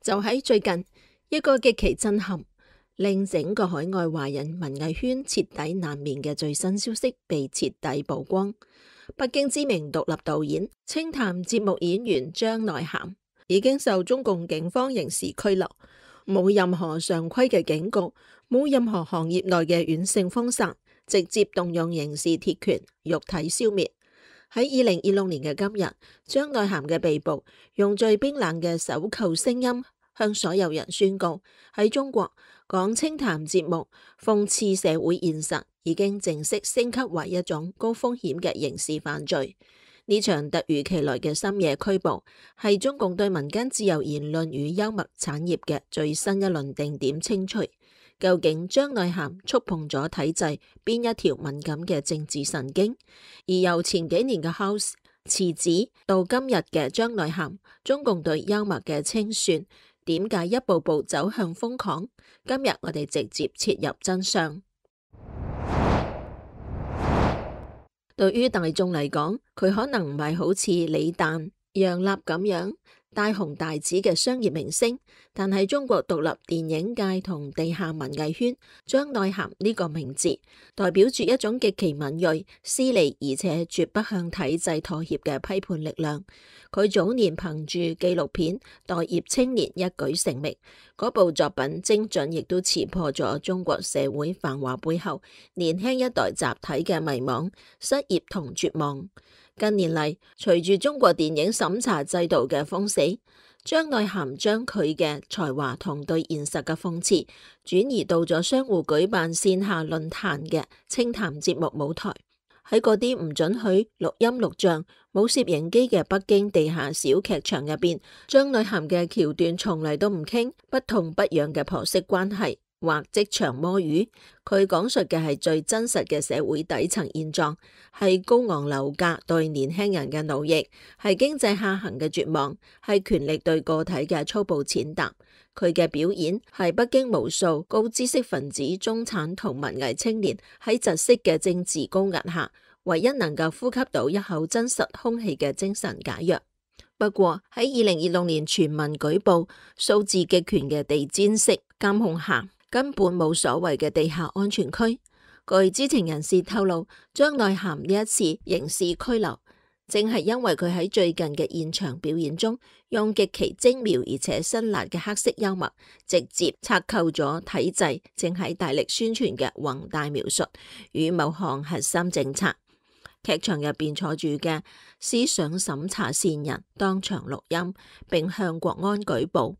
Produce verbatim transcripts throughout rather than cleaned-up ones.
就喺最近，一個極其震撼，令整個海外華人文藝圈徹底難眠嘅最新消息被徹底曝光。北京知名獨立導演、清談節目演員張內涵已經受中共警方刑事拘留，冇任何常規嘅警告，冇任何行業內嘅軟性封殺，直接動用刑事鐵拳，肉體消滅。喺二零二六年嘅今日，張內涵嘅被捕，用最冰冷嘅手銬聲音向所有人宣告：喺中國講清談節目，諷刺社會現實，已經正式升級為一種高風險嘅刑事犯罪。呢場突如其來嘅深夜拘捕，係中共對民間自由言論與幽默產業嘅最新一輪定點清除。究竟張內涵觸碰咗體制邊一條敏感嘅政治神經？而由前幾年嘅 House 辭職到今日嘅張內涵，中共對幽默嘅清算，點解一步步走向瘋狂？今日我哋直接切入真相。對於大眾嚟講，佢可能唔係好似李誕、楊立咁樣大紅大紫嘅商業明星，但係中國獨立電影界同地下文藝圈，張內涵呢個名字代表住一種極其敏銳、犀利而且絕不向體制妥協嘅批判力量。佢早年憑住紀錄片《待業青年》一舉成名，嗰部作品精準亦都刺破咗中國社會繁華背後年輕一代集體嘅迷惘、失業同絕望。近年嚟，隨住中國電影審查制度嘅封死，張內涵將佢嘅才華同對現實嘅諷刺轉移到咗相互舉辦線下論壇嘅清談節目舞台。喺嗰啲唔准許錄音錄像、冇攝影機嘅北京地下小劇場入邊，張內涵嘅橋段從嚟都唔傾不痛不癢嘅婆媳關係或職場摸魚，佢講述嘅係最真實嘅社會底層現狀，係高昂樓價對年輕人嘅奴役，係經濟下行嘅絕望，係權力對個體嘅粗暴踐踏。佢嘅表演係北京無數高知識分子、中產同文藝青年喺窒息嘅政治高壓下，唯一能夠呼吸到一口真實空氣嘅精神解藥。不過喺二零二六年全民舉報數字極權嘅地毯式監控下，根本冇所謂嘅地下安全區。據知情人士透露，張內涵呢一次刑事拘留，正係因為佢喺最近嘅現場表演中，用極其精妙而且辛辣嘅黑色幽默，直接拆扣咗體制正喺大力宣傳嘅宏大描述與某項核心政策。劇場入邊坐住嘅思想審查線人當場錄音，並向國安舉報。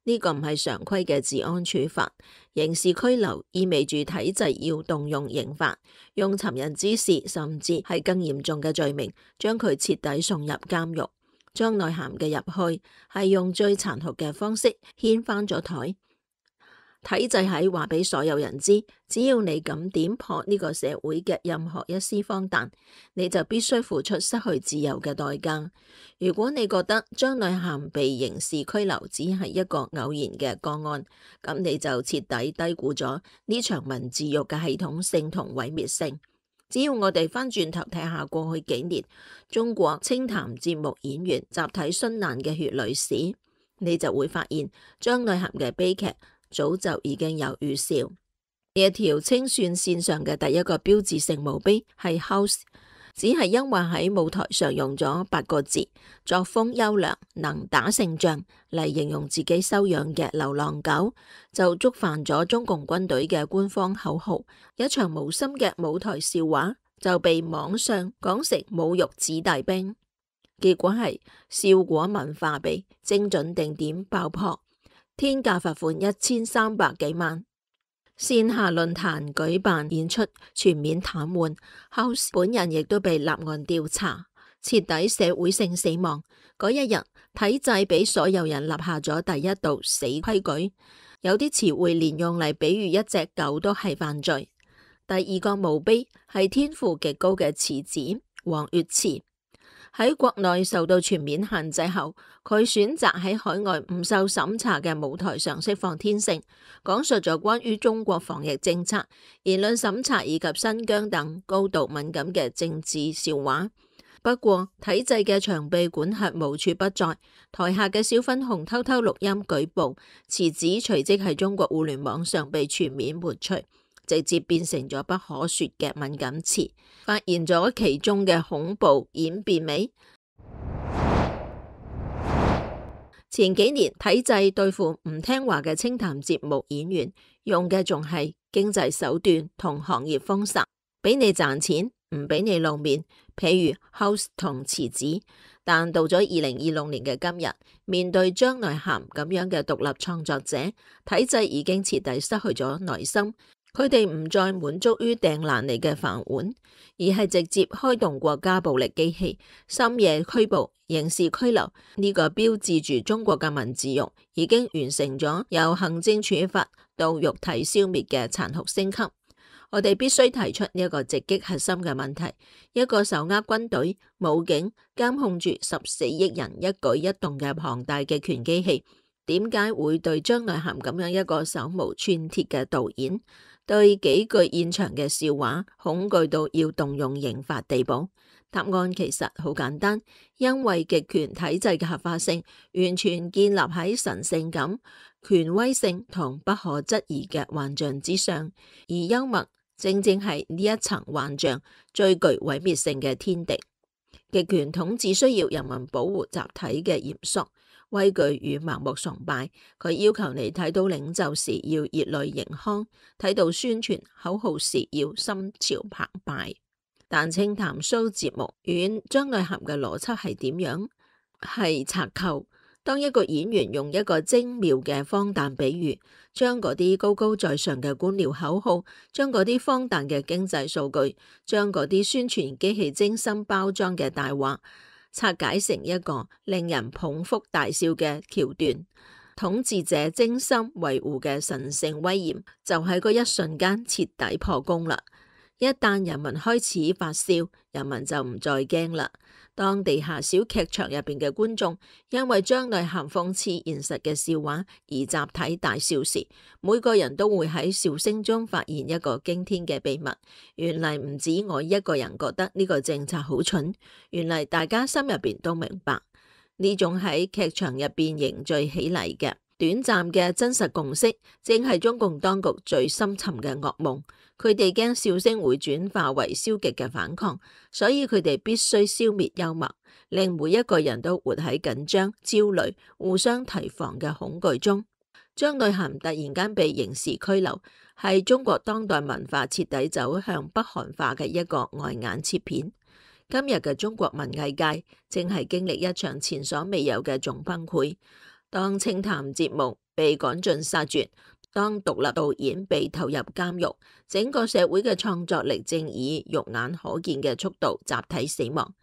呢個唔係常規嘅治安處罰，刑事拘留意味住體制要動用刑法，用尋釁滋事甚至係更嚴重嘅罪名，將佢徹底送入監獄。張內涵嘅入去係用最殘酷嘅方式掀翻咗台。體制喺話俾所有人知，只要你敢點破呢個社會嘅任何一絲荒誕，你就必須付出失去自由嘅代價。如果你覺得張內涵被刑事拘留只係一個偶然嘅個案，咁你就徹底低估咗呢場文字獄嘅系統性同毀滅性。只要我哋翻轉頭睇下過去幾年中國清談節目演員集體殉難嘅血淚史，你就會發現張內涵嘅悲劇早就已經有預兆。呢一條清算線上嘅第一個標誌性墓碑係 House， 只係因為喺舞台上用咗八個字，作風優良，能打勝仗嚟形容自己收養嘅流浪狗，就觸犯咗中共軍隊嘅官方口號。一場無心嘅舞台笑話就被網上講成侮辱子弟兵，結果係笑果文化被精準定點爆破，天價罰款一千三百幾萬，線下論壇舉辦演出全面癱瘓， House 本人亦都被立案調查，徹底社會性死亡。嗰一日，體制俾所有人立下咗第一道死規矩，有啲詞彙連用嚟比喻一隻狗都係犯罪。第二個墓碑係天賦極高嘅詞子王粵詞。喺國內受到全面限制後，佢選擇喺海外唔受審查嘅舞台上釋放天性，講述咗關於中國防疫政策、言論審查以及新疆等高度敏感嘅政治笑話。不過體制嘅長臂管轄無處不在，台下嘅小粉紅偷偷錄音舉報，詞子隨即喺中國互聯網上被全面抹除，直接變成咗不可說嘅敏感詞。發現咗其中嘅恐怖演變未？前幾年體制對付唔聽話嘅清談節目演員，用嘅仲係經濟手段同行業封殺，俾你賺錢，唔俾你露面。譬如 House 同池子。但到咗二零二六年嘅今日，面對張內涵咁樣嘅獨立創作者，體制已經徹底失去咗耐心。佢哋唔再滿足於掟爛你嘅飯碗，而係直接開動國家暴力機器，深夜拘捕、刑事拘留。呢、這個標誌住中國嘅文字獄已經完成咗由行政處罰到肉體消滅嘅殘酷升級。我哋必須提出呢一個直擊核心嘅問題：一個手握軍隊、武警、監控住十四億人一舉一動嘅龐大嘅權機器，點解會對張內涵咁樣一個手無寸鐵嘅導演，對幾句現場嘅笑話恐懼到要動用刑法地步？答案其實好簡單，因為極權體制嘅合法性完全建立喺神聖感、權威性同不可質疑嘅幻象之上，而幽默正正係呢一層幻象最具毀滅性嘅天敵。極權統治需要人民保護集體嘅嚴肅、畏懼與盲目崇拜。佢要求你睇到領袖時要熱淚盈眶，睇到宣傳口號時要心潮澎湃。但清談 show 節目與張內涵嘅邏輯係點樣？係拆扣。當一個演員用一個精妙嘅荒誕比喻，將嗰啲高高在上嘅官僚口號，將嗰啲荒誕嘅經濟數據，將嗰啲宣傳機器精心包裝嘅大話，拆解成一個令人捧腹大笑嘅橋段，統治者精心維護嘅神聖威嚴就喺嗰一瞬間徹底破功啦。一旦人民開始發笑，人民就唔再驚啦。當地下小劇場入邊嘅觀眾因為張內涵諷刺現實嘅笑話而集體大笑時，每個人都會喺笑聲中發現一個驚天嘅秘密。原嚟唔止我一個人覺得呢個政策好蠢，原嚟大家心入邊都明白。呢種喺劇場入邊凝聚起嚟嘅短暫嘅真實共識，正係中共當局最深沉嘅噩夢。佢哋驚笑聲會轉化為消極嘅反抗，所以佢哋必須消滅幽默，令每一個人都活喺緊張、焦慮、互相提防嘅恐懼中。張內涵突然間被刑事拘留，係中國當代文化徹底走向北韓化嘅一個外眼切片。今日嘅中國文藝界正係經歷一場前所未有嘅總崩潰。當清談節目被趕盡殺絕，當獨立導演被投入監獄，整個社會嘅創作力正以肉眼可見嘅速度集體死亡。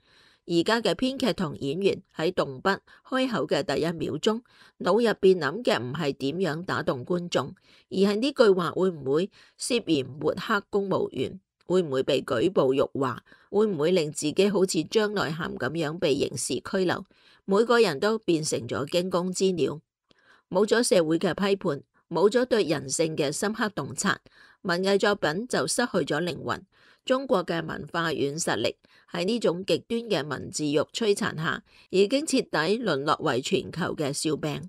而家嘅編劇同演員喺動筆開口嘅第一秒鐘，腦入邊諗嘅唔係點樣打動觀眾，而係呢句話會唔會涉嫌抹黑公務員，會唔會被舉報辱華，會唔會令自己好似張內涵咁樣被刑事拘留。每個人都變成咗驚弓之鳥，冇咗社會嘅批判，冇咗對人性嘅深刻洞察，文藝作品就失去咗靈魂。中國嘅文化軟實力喺呢種極端嘅文字獄摧殘下，已經徹底淪落為全球嘅笑柄。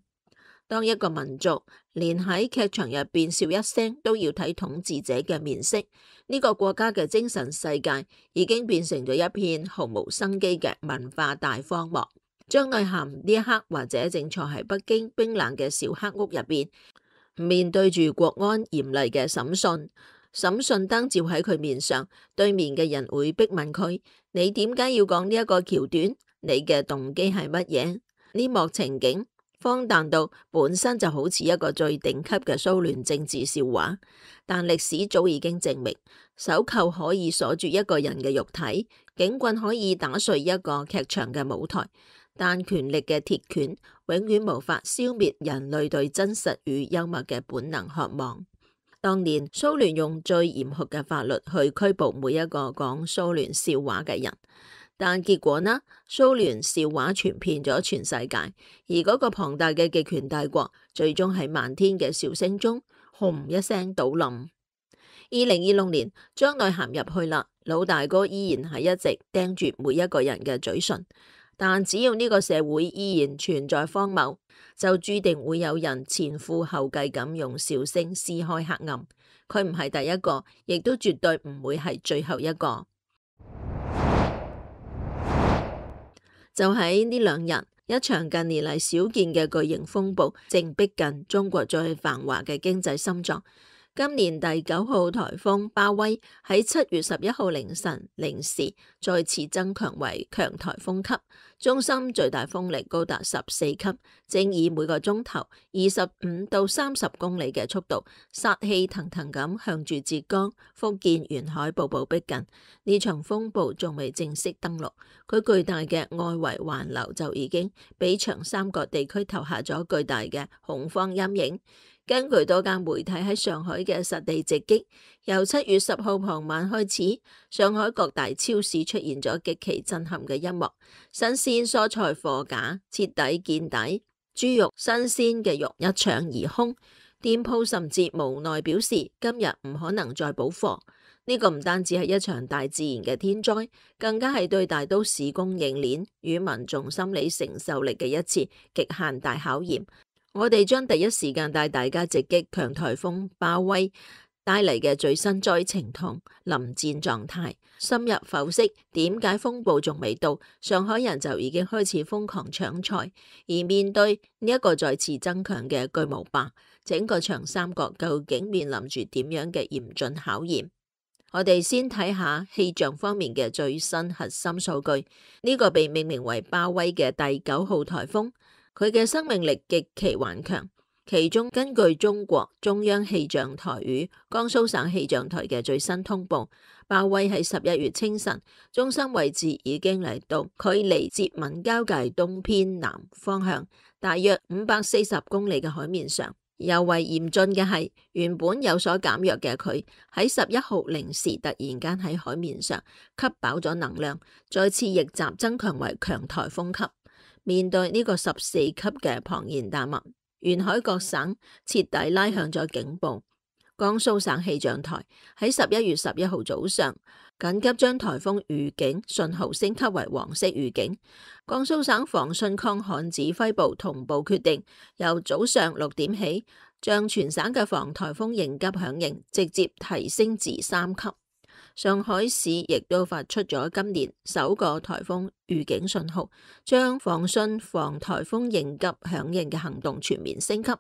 當一個民族連喺劇場入邊笑一聲都要睇統治者嘅面色，呢個國家嘅精神世界已經變成咗一片毫無生機嘅文化大荒漠。張內涵呢一刻或者正坐喺北京冰冷嘅小黑屋入邊，面對住國安嚴厲嘅審訊，審訊燈照喺佢面上，對面嘅人會逼問佢：你點解要講呢一個橋段？你嘅動機係乜嘢？呢幕情景荒誕到本身就好似一個最頂級嘅蘇聯政治笑話，但歷史早已經證明，手銬可以鎖住一個人嘅肉體，警棍可以打碎一個劇場嘅舞台。但權力嘅鐵拳永遠無法消滅人類對真實與幽默嘅本能渴望。當年蘇聯用最嚴酷嘅法律去拘捕每一個講蘇聯笑話嘅人，但結果呢？蘇聯笑話傳遍咗全世界，而嗰個龐大嘅極權大國最終喺漫天嘅笑聲中轟一聲倒冧。二零二六年，張內涵入去啦，老大哥依然係一直盯住每一個人嘅嘴唇。但只要呢個社會依然存在荒謬，就注定會有人前赴後繼咁用笑聲撕開黑暗。佢唔係第一個，亦都絕對唔會係最後一個。就喺呢兩日，一場近年嚟少見嘅巨型風暴正逼近中國最繁華嘅經濟心臟。今年第九號颱風鮑威喺七月十一號凌晨零時再次增強為強颱風級，中心最大風力高達十四級，正以每個鐘頭二十五到三十公里嘅速度殺氣騰騰咁向住浙江、福建沿海步步逼近。呢場風暴仲未正式登陸，佢巨大嘅外圍環流就已經俾長三角地區投下咗巨大嘅恐慌陰影。根據多間媒體喺上海嘅實地直擊，由七月十號傍晚開始，上海各大超市出現咗極其震撼嘅一幕：新鮮蔬菜貨架徹底見底，豬肉新鮮嘅肉一搶而空，店鋪甚至無奈表示今日唔可能再補貨。呢個唔單止係一場大自然嘅天災，更加係對大都市供應鏈與民眾心理承受力嘅一次極限大考驗。我哋將第一時間帶大家直擊強颱風鮑威帶嚟嘅最新災情同臨戰狀態，深入剖析點解風暴仲未到，上海人就已經開始瘋狂搶菜。而面對呢一個再次增強嘅巨無霸，整個長三角究竟面臨住點樣嘅嚴峻考驗？我哋先睇下氣象方面嘅最新核心數據。呢、這個被命名為鮑威嘅第九號颱風，佢嘅生命力極其頑強，其中根據中國中央氣象台與江蘇省氣象台嘅最新通報，鮑威喺十一月清晨，中心位置已經嚟到距離浙閩交界東偏南方向大約五百四十公里嘅海面上。尤為嚴峻嘅係，原本有所減弱嘅佢喺十一號零時突然間喺海面上吸飽咗能量，再次逆襲增強為強颱風級。面對呢個十四級嘅龐然大物，沿海各省徹底拉響咗警報。江蘇省氣象台喺十一月十一號早上緊急將颱風預警信號升級為黃色預警。江蘇省防汛抗旱指揮部同步決定，由早上六點起，將全省嘅防颱風應急響應直接提升至三級。上海市亦都發出咗今年首個颱風預警信號，將防汛防颱風應急響應嘅行動全面升級。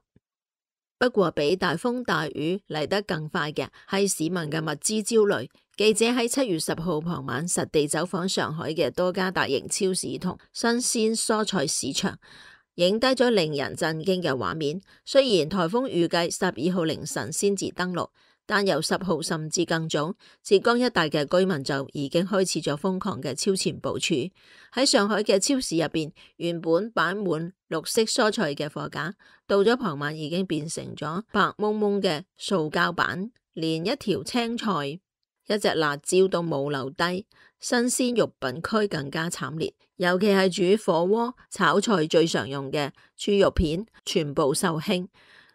不過比大風大雨嚟得更快嘅係市民嘅物資焦慮。記者喺七月十號傍晚實地走訪上海嘅多家大型超市同新鮮蔬菜市場，影低咗令人震驚嘅畫面。雖然颱風預計十二號凌晨先至登陸，但由十號甚至更早，浙江一帶嘅居民就已經開始咗瘋狂嘅超前部署。喺上海嘅超市入邊，原本擺滿綠色蔬菜嘅貨架，到咗傍晚已經變成咗白蒙蒙嘅塑膠板，連一條青菜、一隻辣椒都冇留低。新鮮肉品區更加慘烈，尤其係煮火鍋、炒菜最常用嘅豬肉片，全部售罄。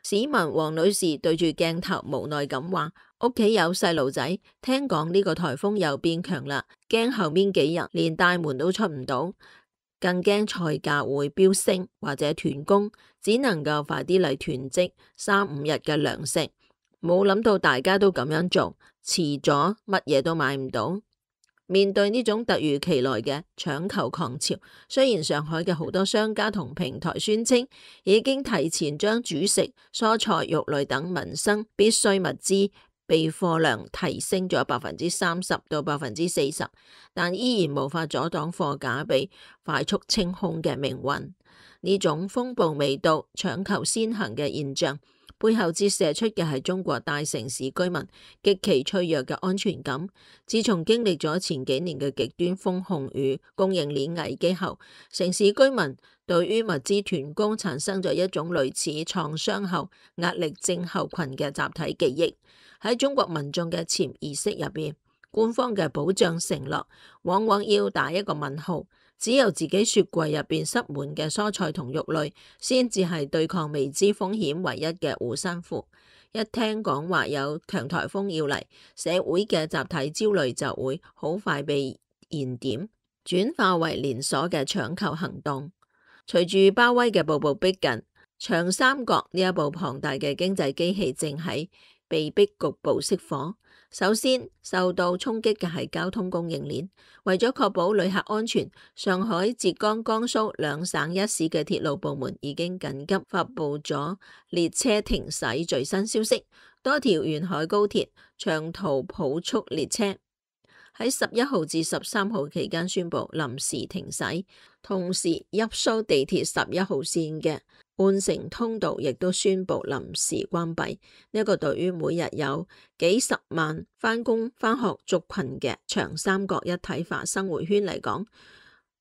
市民黃女士對住鏡頭無奈咁話：屋企有細路仔，聽講呢個颱風又變強啦，驚後面幾日連大門都出唔到，更驚菜價會飆升或者斷供，只能夠快啲嚟囤積三五日嘅糧食。冇諗到大家都咁樣做，遲咗乜嘢都買唔到。面對呢種突如其來嘅搶購狂潮，雖然上海嘅好多商家同平台宣稱已經提前將主食、蔬菜、肉類等民生必需物資備貨量提升咗百分之三十到百分之四十，但依然無法阻擋貨架被快速清空嘅命運。呢種風暴未到，搶購先行嘅現象，背後折射出嘅係中國大城市居民極其脆弱嘅安全感。自從經歷咗前幾年嘅極端封控與供應鏈危機後，城市居民對於物資斷供產生咗一種類似創傷後壓力症候群嘅集體記憶。喺中國民眾嘅潛意識入邊，官方嘅保障承諾往往要打一個問號。只有自己雪櫃入邊塞滿嘅蔬菜同肉類，先至係對抗未知風險唯一嘅護身符。一聽講話有強颱風要嚟，社會嘅集體焦慮就會好快被燃點，轉化為連鎖嘅搶購行動。隨住鮑威嘅步步逼近，長三角呢一部龐大嘅經濟機器正喺被迫局部熄火。首先受到衝擊嘅係交通供應鏈，為咗確保旅客安全，上海、浙江、江蘇兩省一市嘅鐵路部門已經緊急發布咗列車停駛最新消息，多條沿海高鐵、長途普速列車喺十一號至十三號期間宣布臨時停駛，同時驛蘇地鐵十一號線嘅半城通道亦都宣布臨時關閉。呢、這、一個對於每日有幾十萬返工返學族群嘅長三角一體化生活圈嚟講，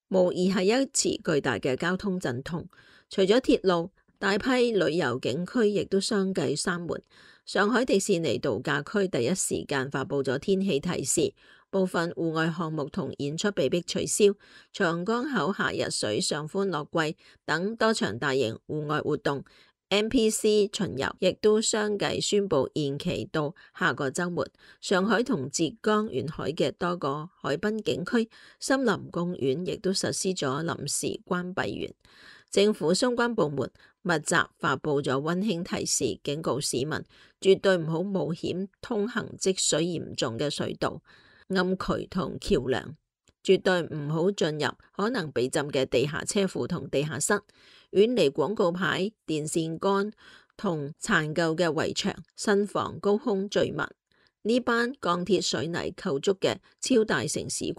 無疑係一次巨大嘅交通陣痛。除咗鐵路，大批旅遊景區亦都相繼閂門。上海迪士尼度假區第一時間發布咗天氣提示，部分戶外項目同演出被迫取消，長江口夏日水上歡樂季等多場大型戶外活動 M P C 巡遊亦都相繼宣布延期到下個週末。上海同浙江沿海嘅多個海濱景區、森林公園亦都實施咗臨時關閉園。政府相關部門密集發布咗溫馨提示，警告市民絕對唔好冒險通行積水嚴重嘅隧道、暗渠同橋樑，絕對唔好進入可能被浸嘅地下車庫同地下室，遠離廣告牌、電線桿同殘舊嘅圍牆，慎防高空墜物。呢班鋼鐵水泥構築嘅超大城市群，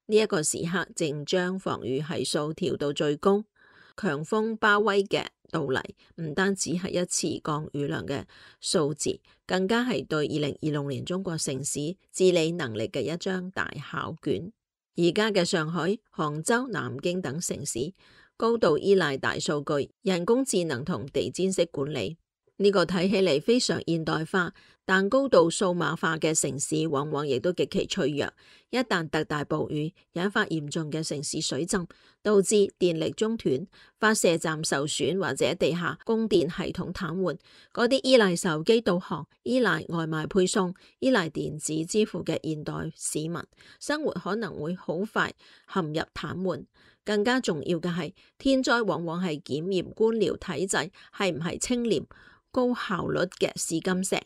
呢、這、一個時刻正將防禦係數調到最高。強風鮑威嘅到嚟，唔單止係一次降雨量嘅數字，更加係對二零二六年中國城市治理能力嘅一張大考卷。而家嘅上海、杭州、南京等城市，高度依賴大數據、人工智能同地毯式管理。呢個睇起嚟非常現代化，但高度數碼化嘅城市往往亦都極其脆弱。一旦特大暴雨，引發嚴重嘅城市水浸，導致電力中斷、發射站受損或者地下供電系統癱瘓，嗰啲依賴手機導航、依賴外賣配送、依賴電子支付嘅現代市民，生活可能會好快陷入癱瘓。更加重要嘅係，天災往往係檢驗官僚體制係唔係清廉、高效率嘅試金石。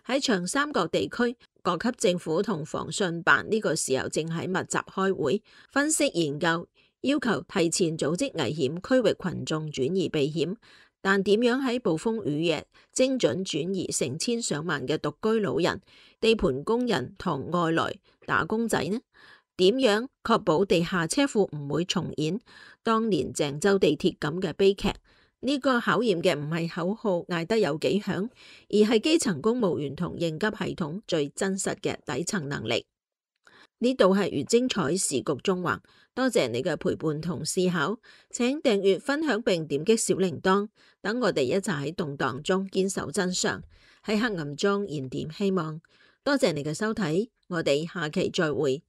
喺長三角地區，各級政府同防汛辦呢個時候正喺密集開會，分析研究，要求提前組織危險區域群眾轉移避險。但點樣喺暴風雨夜精準轉移成千上萬嘅獨居老人、地盤工人同外來打工仔呢？點樣確保地下車庫唔會重演當年鄭州地鐵咁嘅悲劇？呢個考驗嘅唔係口號嗌得有幾響，而係基層公務員同應急系統最真實嘅底層能力。呢度係粵精彩時局中環，多謝你嘅陪伴同思考，請訂閱、分享並點擊小鈴鐺，等我哋一齊喺動盪中堅守真相，喺黑暗中燃點希望。多謝你嘅收睇，我哋下期再會。